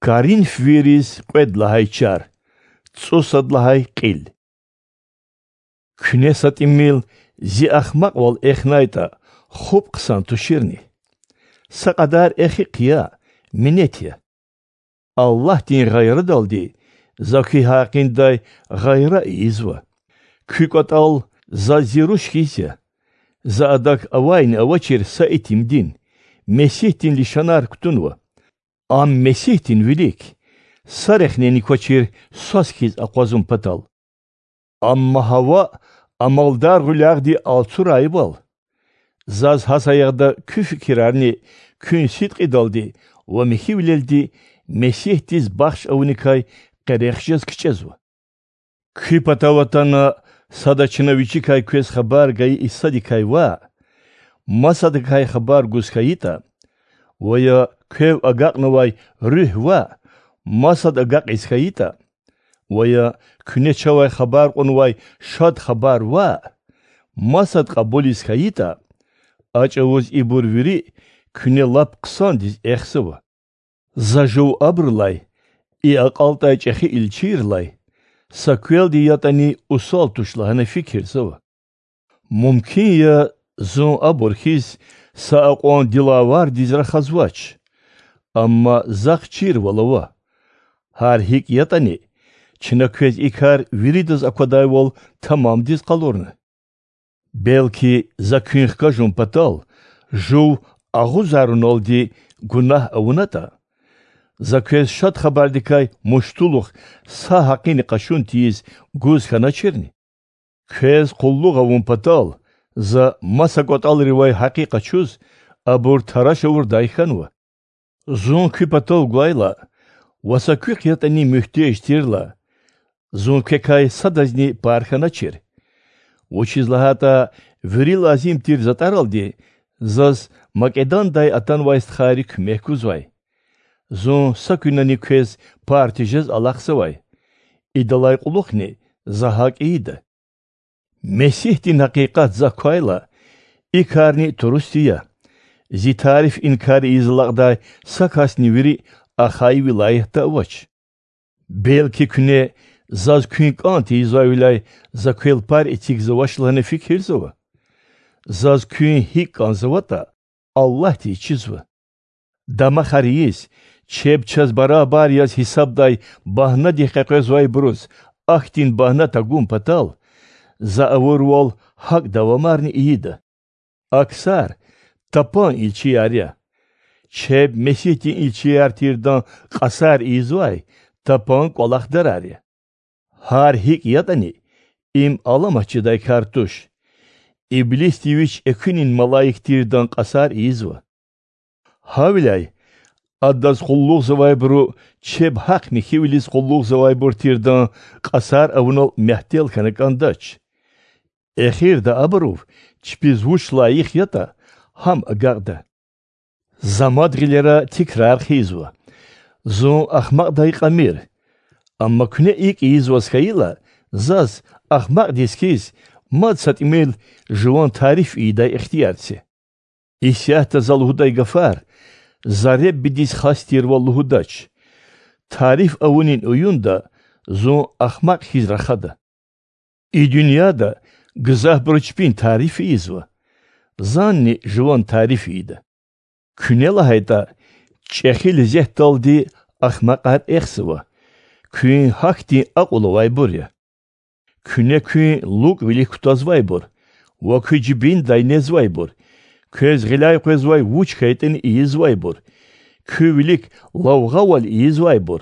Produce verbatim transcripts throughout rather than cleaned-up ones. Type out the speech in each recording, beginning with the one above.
Коринфвийриз кьвед лагьай чар, цӀусад лагьай кьил. Куьне са тӀимил зи ахмакьвал эхнайтӀа, хуп хъсан туширни? Са кьадар эхи хъия, минет я. Аллагьдин гъайрадалди за куь гьакъиндай гъайра ийизва. Куь кӀватӀал заз зи руш хьиз я. За адак авайни-авачир са итимдин, Месигьдин лишанар кутунва. Ам Месигьдин вилик са рехнени квачир свас хьиз акъвазун патал. Амма гьа ваъ, амалдар гъуьлягъди алцурайвал. Заз гьа саягъда куь фикирарни куьн сидкьидалди ва михьивилелди Месигьдиз бахш авуникай къерех жез кичӀезва. Куь патав атана сада чна вичикай квез хабар гайи Исадикай ваъ, масадакай хабар гуз хьайитӀа, ва я квев агакьнавай Руьгь ваъ, масад агакьиз хьайитӀа, ва я куьне чавай хабар кьунвай Шад Хабар ваъ, масад кьабулиз хьайитӀа, а чӀавуз ибур вири куьне лап хъсандиз эхзава. За жув абурулай, и акьалтӀай чӀехи илчийрилай, са квелди ятӀани усал туш лагьана фикирзава. Мумкин я, зун абур хьиз са акьван дилавардиз рахазвач, амма захъ чирвал ава. Гьар гьикӀ ятӀани, чна квез и кар виридаз аквадайвал тамамдиз къалурна. Белки за куьн хкажун патал жув агъузаруналди гунагь авунатӀа, за квез Шад Хабардикай муштулух са гьакъини къачун тийиз гуз хьаначирни? Квез къуллугъ авун патал за маса кӀватӀалривай гьакъи къачуз, абур тараш авурдай хьанва. Зун куь патав гвайла ва са куьхъ ятӀани муьгьтеж тирла, зун квекай садазни пар хьаначир. Вучиз лагьайтӀа вири лазим тир затӀаралди заз Македондай атанвай стхайри куьмек гузвай. Зун са куьнани квез пар тежез алахъзавай. Идалай кьулухъни за гьакӀ ийида. Месигьдин гьакъикъат захъ квайла, и карни турусди я: зи тариф инкар ийиз алакьдай са касни вири Ахай вилаятда авач. Белки куьне заз куьн кӀан тийизвайвиляй за квел пар эцигзавач лагьана фикирзава? Заз куьн гьикӀ кӀанзаватӀа, Аллагьдиз чизва. Дамахар ийиз, чеб чаз барабар яз гьисабдай багьнадихъ къекъвезвайбуруз ахьтин багьна тагун патал, за авурвал гьакӀ давамарни ийида. А ксар тапан илчияр я. Чеб Месигьдин илчияр тирдан кьасар ийизвай тапан кӀвалахдарар я. Гьар гьикӀ ятӀани, им аламат жедай кар туш. Иблисди вич экуьнин малаик тирдан кьасар ийизва. Гьавиляй адаз къуллугъзавайбуру чеб гьахъ-михьивилиз къуллугъзавайбур тирдан кьасар авунал мягьтел хьана кӀандач. Эхирда абурув чпиз вуч лайих ятӀа, гьам агакьда. За мад гъилера тикрар хъийизва: зун ахмакьдай кьамир. Амма куьне икӀ ийизваз хьайила, заз, ахмакьдиз хьиз, мад са тӀимил жуван тариф ийидай ихтияр це. Исятда за лугьудай гафар за Реббидиз хас тирвал лугьудач. Тариф авунин уюнда зун ахмакь хьиз рахада. И дуьньяда гзафбуру чпин тариф ийизва, занни жуван тариф ийида. Куьне лагьайтӀа, чӀехи лезетдалди ахмакьар эхзава, куьн гьахьтин акьул авайбур я. Куьне куьн лукӀвилик кутазвайбур ва куь жибиндай незвайбур, квез гъиляй къвезвай вуч хьайитӀани ийизвайбур, куь вилик лавгъавал ийизвайбур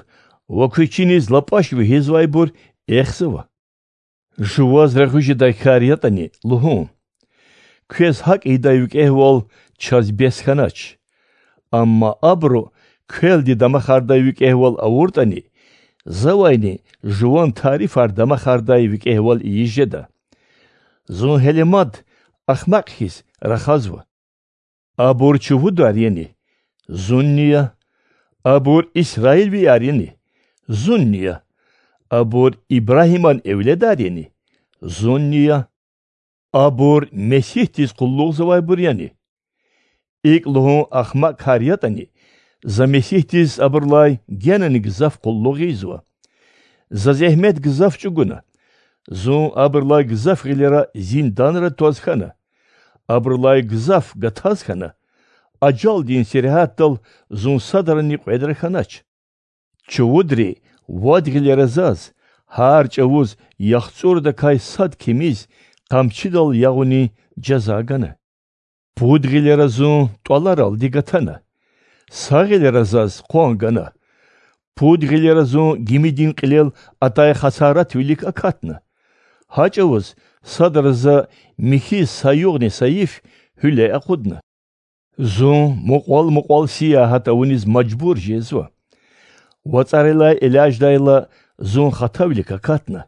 ва куь чиниз лапӀаш вегьизвайбур эхзава. Жуваз регъуь жедай кар ятӀани, лугьун: квез гьакӀ ийидай викӀегьвал чаз бес хьанач. Амма абуру квелди дамахардай викӀегьвал авуртӀани, завайни жуван тарифар дамахардай викӀегьвал ийиз жеда. Зун гьеле мад ахмакь хьиз рахазва. Абур чувудар яни? Зунни я. Абур Исраилвияр яни? Зунни я. Абур Ибрагьиман эвледар яни? Зунни я. Абур Месигьдиз къуллугъзавайбур яни? ИкӀ лугьун ахмакьар ятӀани, За Месигьдиз абурулай генани гзаф къуллугъ ийизва. За зегьмет гзаф чІугуна. Зун абурулай гзаф гъилера зинданра тваз хьана. Абурулай гзаф гатаз хьана. Ажалдин сергьятдал зун садрани кьведра хьанач. Чувудри вад гъилера заз, гьар чІавуз яхцІурдакай сад кимиз, къамчидал ягъунин жаза гана. Пуд гъилера зун тІваларалди гатана. Са гъилера заз къван гана. Пуд гъилера зун гимидин кьилел атай хасаратвилик акатна. Гьа чІавуз садра за михьиз са югъни са йиф гьуьле акъудна. Зун мукьвал-мукьвал сиягьат авуниз мажбур жезва. ВацІарилай элячІдайла, зун хатавилик акатна.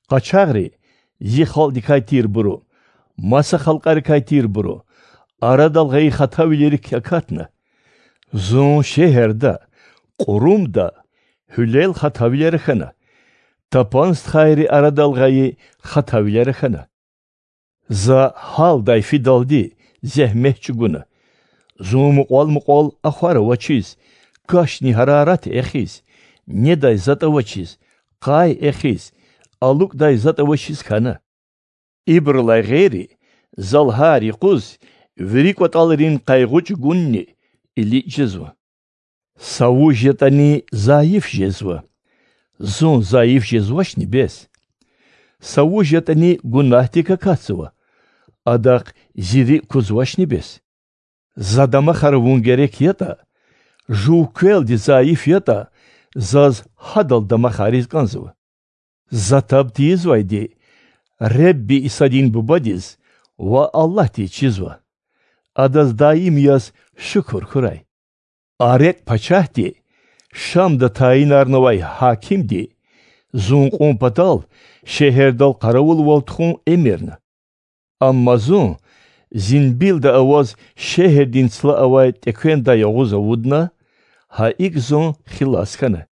Къачагъри, зи халкьдикай тирбуру, маса халкьарикай тирбуру, арадал гъайи хатавилерик акатна. Зун шегьерда, кьурумда, гьуьлел хатавилера хьана, тапан стхайри арадал гъайи хатавилера хьана. За гьалдай фидалди зегьмет чІугуна. Зун мукьвал-мукьвал ахвар авачиз, кашни гьарарат эхиз, недай затІ авачиз, къай эхиз, алукІдай затІ авачиз хьана. Ибурулай гъейри, за лагьай юкъуз вири кІватІалрин къайгъу чІугунни иличІ жезва. Са вуж ятІани зайиф жезва. Зун зайиф жезвачни бес? Са вуж ятІани гунагьдик акатзава. Адахъ зи рикІ кузвачни бес? За дамахар авун герек ятІа, жув квелди зайиф ятІа, заз гьадал дамахариз кІанзава. За таб тийизвайди Худа Исадин Бубадиз ва Аллагьдиз чизва. Адаз даим яз шукур хьурай. Арек пачагьди, Шамда тайинарнавай гьакимди, зун кьун патал шегьердал къаравулвал тухун эмирна. Амма зун зимбилда аваз шегьердин цла авай тІеквендай агъуз авудна, гьа икІ зун хилас хьана.